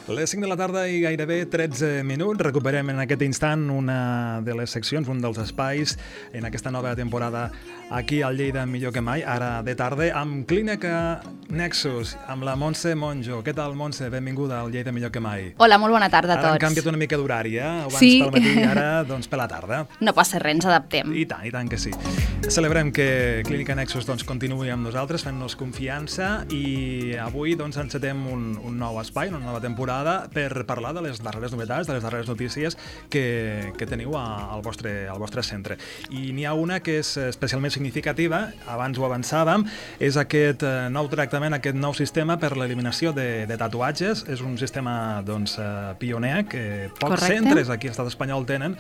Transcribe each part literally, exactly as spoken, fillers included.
Les cinc de la tarda i gairebé tretze minuts. Recuperem en aquest instant una de les seccions, un dels espais en aquesta nova temporada aquí al Lleida Millor que Mai, ara de tarda, amb Clínica Nexus, amb la Montse Monjo. Què tal, Montse? Benvinguda al Lleida Millor que Mai. Hola, molt bona tarda a tots. Ara han canviat una mica d'horari, eh? Abans sí. pel matí, ara doncs per la tarda. No passa res, ens adaptem. I tant, i tant que sí. Celebrem que Clínica Nexus doncs, continuï amb nosaltres, fent-nos confiança, i avui doncs, encetem un, un nou espai, una nova temporada, per parlar de les darreres novetats, de les darreres notícies que, que teniu a, al, vostre, al vostre centre. I n'hi ha una que és especialment significativa, abans ho avançàvem, és aquest nou tractament, aquest nou sistema per l'eliminació de, de tatuatges. És un sistema doncs, pioner que pocs Correcte. Centres aquí a l'estat espanyol tenen.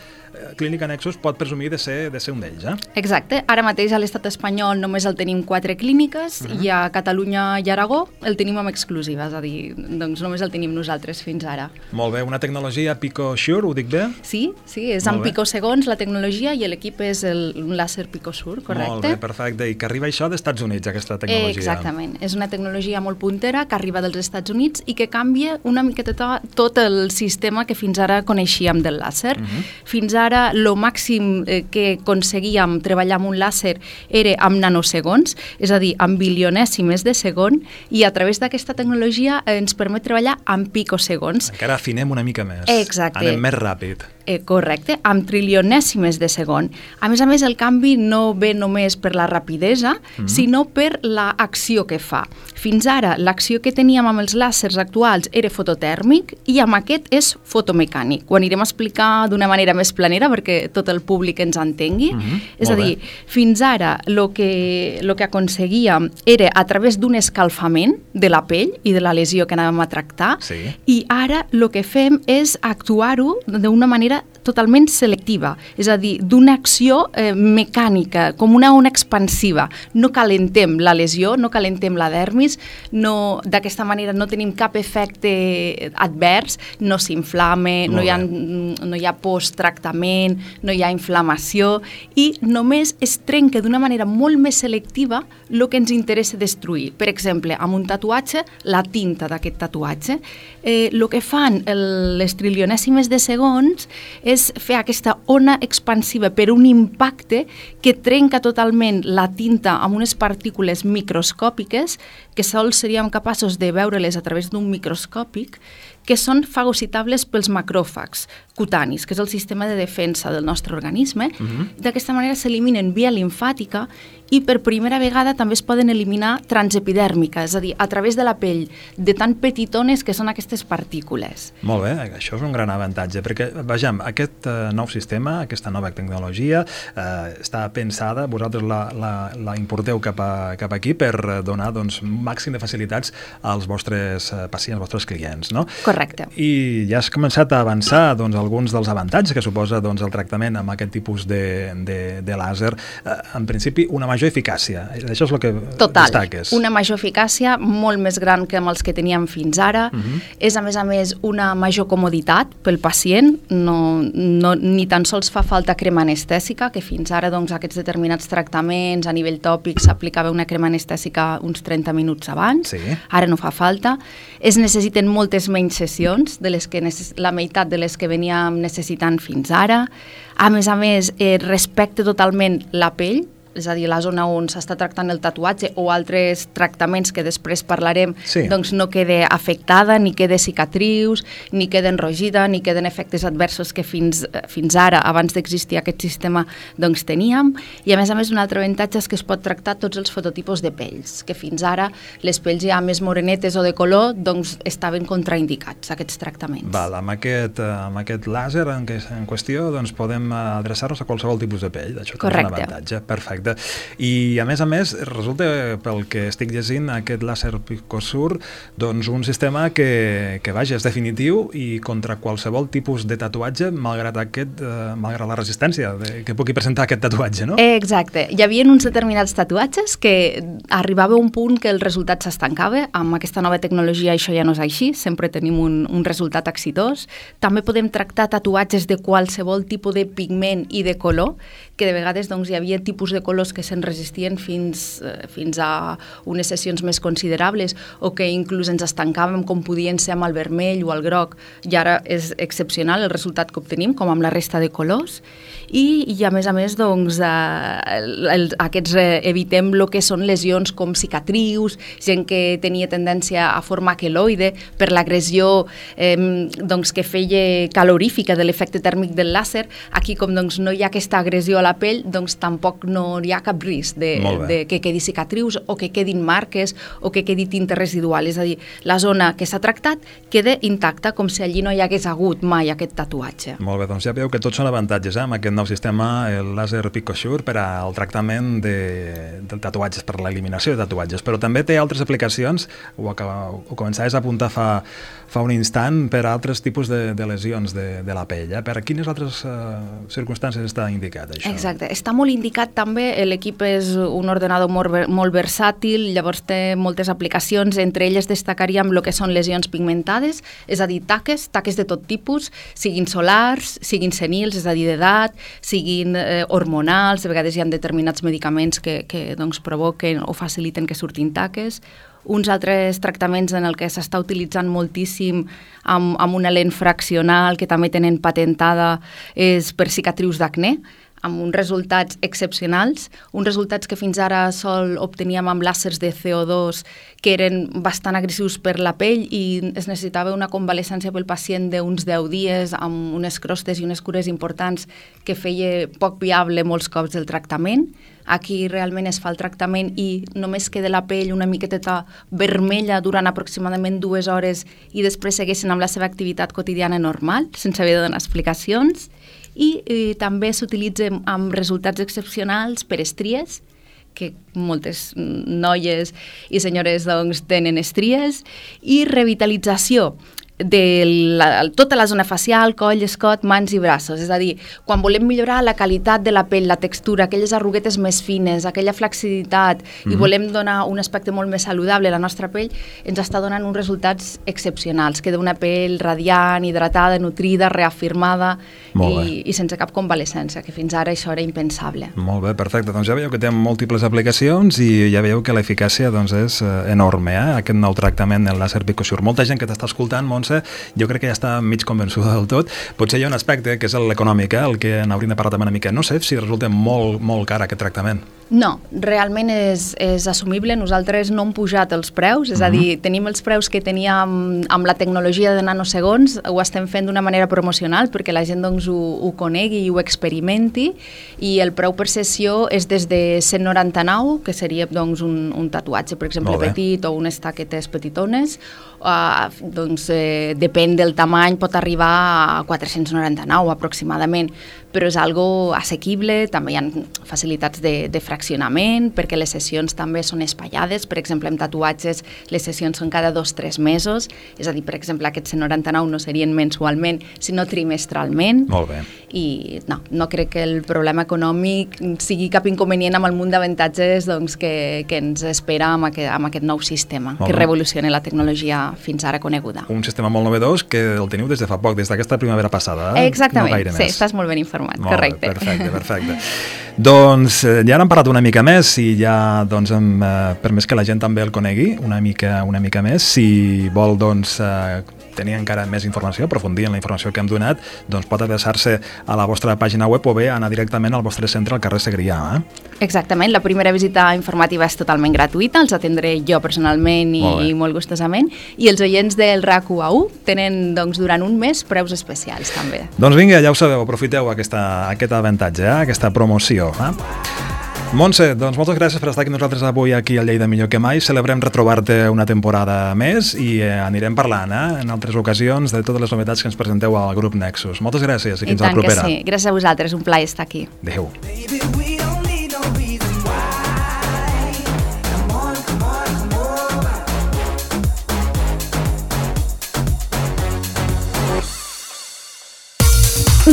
Clínica Nexus pot presumir de ser, de ser un d'ells. Eh? Exacte. Ara mateix a l'estat espanyol només el tenim quatre clíniques, uh-huh. i a Catalunya i Aragó el tenim amb exclusiva, és a dir, doncs només el tenim nosaltres fins ara. Molt bé, una tecnologia PicoSure, ho dic bé? Sí, sí, és Molt amb bé. picosegons la tecnologia i l'equip és el, un làser PicoSure, correcte? Molt bé, perfecte. I que arriba això dels Estats Units, aquesta tecnologia. Exactament. És una tecnologia molt puntera que arriba dels Estats Units i que canvia una miqueta tot el sistema que fins ara coneixíem del làser. Uh-huh. Fins ara, el màxim que aconseguíem treballar amb un làser era amb nanosegons, és a dir, amb bilionèsimes de segon, i a través d'aquesta tecnologia ens permet treballar amb picosegons. Encara afinem una mica més. Exacte. Anem més ràpid. Eh, correcte, amb trilionèsimes de segon. A més a més, el canvi no ve només per la rapidesa, mm-hmm. sinó per l'acció que fa. Fins ara, l'acció que teníem amb els làsers actuals era fototèrmic i amb aquest és fotomecànic. Ho anirem a explicar d'una manera més planera perquè tot el públic ens entengui. Mm-hmm. És Molt a dir, bé. fins ara el que, lo que aconseguíem era a través d'un escalfament de la pell i de la lesió que anàvem a tractar, Sí. i ara el que fem és actuar-ho d'una manera totalment selectiva, és a dir, d'una acció eh, mecànica, com una ona expansiva. No calentem la lesió, no calentem la dermis, no, d'aquesta manera no tenim cap efecte advers, no s'inflame, no hi ha, no hi ha post-tractament, no hi ha inflamació, i només es trenca d'una manera molt més selectiva el que ens interessa destruir. Per exemple, amb un tatuatge, la tinta d'aquest tatuatge. Eh, el que fan el, les trilionèsimes de segons és fer aquesta ona expansiva per un impacte que trenca totalment la tinta amb unes partícules microscòpiques que sols seríem capaços de veure-les a través d'un microscòpic, que són fagocitables pels macròfags cutanis, que és el sistema de defensa del nostre organisme. Uh-huh. D'aquesta manera s'eliminen via limfàtica i per primera vegada també es poden eliminar transepidèrmica, és a dir, a través de la pell, de tan petitones que són aquestes partícules. Molt bé, això és un gran avantatge, perquè, vejam, aquest uh, nou sistema, aquesta nova tecnologia, uh, està pensada, vosaltres la, la, la importeu cap, a, cap aquí per donar doncs, màxim de facilitats als vostres uh, pacients, als vostres clients, no? Correcte. I ja has començat a avançar doncs, alguns dels avantatges que suposa doncs, el tractament amb aquest tipus de, de, de làser. Uh, en principi, una major eficàcia. Això és el que Total, destaques. Una major eficàcia molt més gran que amb els que teníem fins ara. Uh-huh. És, a més a més, una major comoditat pel pacient. No, no, ni tan sols fa falta crema anestèsica, que fins ara doncs, aquests determinats tractaments a nivell tòpic s'aplicava una crema anestèsica uns trenta minuts abans. Sí. Ara no fa falta. Es necessiten moltes menys sessions, de les que necess... la meitat de les que veníem necessitant fins ara. A més a més, eh, respecta totalment la pell, és a dir, la zona on s'està tractant el tatuatge o altres tractaments que després parlarem, sí. doncs no quede afectada, ni quede cicatrius, ni quede enrogida, ni queden efectes adversos que fins, fins ara, abans d'existir aquest sistema, doncs teníem. I a més a més, un altre avantatge és que es pot tractar tots els fototipus de pells, que fins ara les pells ja més morenetes o de color, doncs estaven contraindicats, aquests tractaments. Val, amb aquest, amb aquest làser en, que, en qüestió doncs podem adreçar-nos a qualsevol tipus de pell. Això és un avantatge. Perfecte. I a més a més, resulta, pel que estic llegint, aquest làser PicoSure, doncs un sistema que, que vaja, és definitiu i contra qualsevol tipus de tatuatge, malgrat aquest, eh, malgrat la resistència de, que pugui presentar aquest tatuatge, no? Exacte. Hi havia uns determinats tatuatges que arribava a un punt que el resultat s'estancava. Amb aquesta nova tecnologia això ja no és així, sempre tenim un, un resultat exitós. També podem tractar tatuatges de qualsevol tipus de pigment i de color, que de vegades doncs, hi havia tipus de colors que se'n resistien fins, eh, fins a unes sessions més considerables o que inclús ens estancàvem com podien ser amb el vermell o el groc, i ara és excepcional el resultat que obtenim, com amb la resta de colors. I, i a més a més, doncs, eh, el, aquests eh, evitem el que són lesions com cicatrius, gent que tenia tendència a formar queloide per l'agressió eh, doncs, que feia calorífica de l'efecte tèrmic del làser. Aquí, com doncs, no hi ha aquesta agressió a la pell, doncs tampoc no hi ha cap risc de, de que quedi cicatrius o que quedin marques o que quedi tinta residual. És a dir, la zona que s'ha tractat queda intacta, com si allí no hi hagués hagut mai aquest tatuatge. Molt bé, doncs ja veieu que tots són avantatges, eh? Amb aquest nou sistema, el làser PicoSure, per al tractament de, de tatuatges, per l'eliminació de tatuatges, però també té altres aplicacions, ho, acaba, ho començaves a apuntar fa, fa un instant, per a altres tipus de, de lesions de, de la pell. Eh? Per a quines altres uh, circumstàncies està indicat això? Exacte, està molt indicat també, l'equip és un ordenador molt, molt versàtil, llavors té moltes aplicacions, entre elles destacaríem el que són lesions pigmentades, és a dir, taques, taques de tot tipus, siguin solars, siguin senils, és a dir, d'edat, siguin eh, hormonals, a vegades hi ha determinats medicaments que, que doncs, provoquen o faciliten que surtin taques. Uns altres tractaments en el que s'està utilitzant moltíssim amb, amb una lent fraccional que també tenen patentada és per cicatrius d'acné, amb uns resultats excepcionals, uns resultats que fins ara sol obteníem amb làsers de C O dos que eren bastant agressius per la pell i es necessitava una convalescència pel pacient d'uns deu dies amb unes crostes i unes cures importants que feia poc viable molts cops el tractament. Aquí realment es fa el tractament i només queda la pell una miqueta vermella durant aproximadament dues hores i després segueixen amb la seva activitat quotidiana normal, sense haver de donar explicacions. I eh, també s'utilitza amb resultats excepcionals per estries, que moltes noies i senyores doncs, tenen estries, i revitalització de la, tota la zona facial, coll, escot, mans i braços. És a dir, quan volem millorar la qualitat de la pell, la textura, aquelles arruguetes més fines, aquella flexibilitat, mm-hmm. i volem donar un aspecte molt més saludable a la nostra pell, ens està donant uns resultats excepcionals. Queda una pell radiant, hidratada, nutrida, reafirmada i, i sense cap convalescència, que fins ara això era impensable. Molt bé, perfecte. Doncs ja veieu que té múltiples aplicacions i ja veieu que l'eficàcia doncs, és enorme, eh? Aquest nou tractament del làser PicoSure. Molta gent que t'està escoltant, Montse, jo crec que ja està mig convençuda del tot. Potser hi ha un aspecte que és l'econòmic, eh, el que n'hauríem de parlar també una mica. No sé si resulta molt, molt car aquest tractament. No, realment és, és assumible. Nosaltres no hem pujat els preus, és a dir, tenim els preus que teníem amb la tecnologia de nanosegons, ho estem fent d'una manera promocional perquè la gent doncs, ho, ho conegui i ho experimenti, i el preu per sessió és des de cent noranta-nou, que seria doncs, un, un tatuatge, per exemple, petit, o unes taquetes petitones, uh, doncs eh, depèn del tamany, pot arribar a quatre-cents noranta-nou aproximadament, però és algo assequible. També hi ha facilitats de, de fraccionament, perquè les sessions també són espaiades. Per exemple, amb tatuatges les sessions són cada dos o tres mesos, és a dir, per exemple, aquests cent noranta-nou no serien mensualment, sinó trimestralment. Molt bé. I no, no crec que el problema econòmic sigui cap inconvenient amb el munt d'avantatges doncs, que, que ens espera amb aquest, amb aquest nou sistema, molt que bé. Revoluciona la tecnologia fins ara coneguda. Un sistema molt novedós que el teniu des de fa poc, des d'aquesta primavera passada. Eh? Exactament, no sí, estàs molt ben informat, molt correcte. Bé, perfecte, perfecte. Doncs ja n'hem parlat una mica més i ja doncs, hem eh, permès que la gent també el conegui una mica, una mica més. Si vol doncs, eh, tenir encara més informació, aprofundir en la informació que hem donat, doncs pot adreçar-se a la vostra pàgina web o bé anar directament al vostre centre al carrer Segrià. Eh? Exactament, la primera visita informativa és totalment gratuïta, els atendré jo personalment i molt, i molt gustosament, i els oients del R A C U A U tenen doncs, durant un mes preus especials també. Doncs vinga, ja ho sabeu, aprofiteu aquesta, aquest avantatge, eh? Aquesta promoció. Eh? Montse, doncs moltes gràcies per estar aquí nosaltres avui aquí al Lleida Millor que Mai. Celebrem retrobar-te una temporada més i eh, anirem parlant eh, en altres ocasions de totes les novetats que ens presenteu al grup Nexus. Moltes gràcies i fins a la propera. I tant que sí. Gràcies a vosaltres, un plaer estar aquí. Adéu.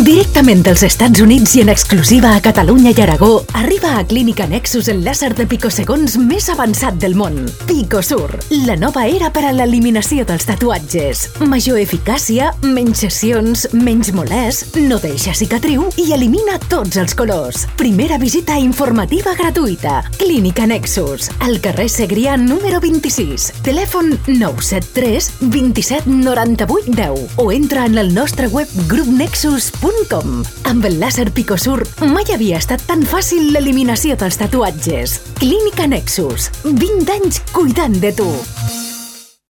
Directament dels Estats Units i en exclusiva a Catalunya i Aragó, arriba a Clínica Nexus el làser de picosegons més avançat del món. Picosur, la nova era per a l'eliminació dels tatuatges. Major eficàcia, menys sessions, menys molest, no deixa cicatriu i elimina tots els colors. Primera visita informativa gratuïta. Clínica Nexus, al carrer Segrià número vint-i-sis. Telèfon nou set tres dos set nou vuit un zero o entra en el nostre web grup nexus punt com. Amb el làser Picosur mai havia estat tan fàcil l'eliminació dels tatuatges. Clínica Nexus, vint anys cuidant de tu.